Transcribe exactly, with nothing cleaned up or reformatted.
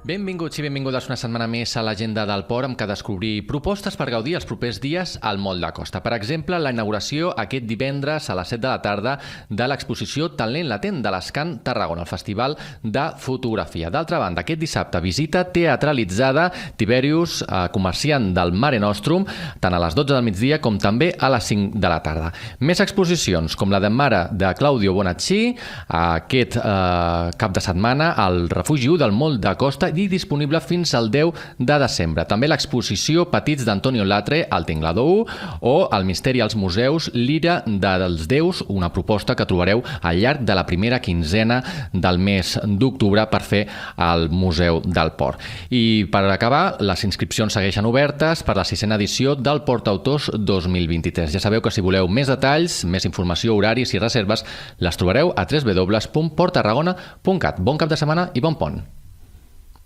Benvinguts i benvingudes una setmana més a l'Agenda del Port, amb què descobrir propostes per gaudir els propers dies al Moll de Costa. Per exemple, la inauguració aquest divendres a les set de la tarda de l'exposició Talent Latent de l'Escan Tarragona, el Festival de Fotografia. D'altra banda, aquest dissabte visita teatralitzada Tiberius, eh, comerciant del Mare Nostrum, tant a les dotze del migdia com també a les cinc de la tarda. Més exposicions, com la de Mare de Claudio Bonacci, aquest eh, cap de setmana al Refugi u del Moll de Costa, i disponible fins al deu de desembre. També l'exposició Petits d'Antonio Latre al Tinglador u o El misteri als museus, l'Ira dels déus, una proposta que trobareu al llarg de la primera quinzena del mes d'octubre per fer al Museu del Port. I per acabar, les inscripcions segueixen obertes per la sisena edició del Port Autors dos mil vint-i-tres. Ja sabeu que si voleu més detalls, més informació, horaris i reserves, les trobareu a w w w punt port tarragona punt cat. Bon cap de setmana i bon pont!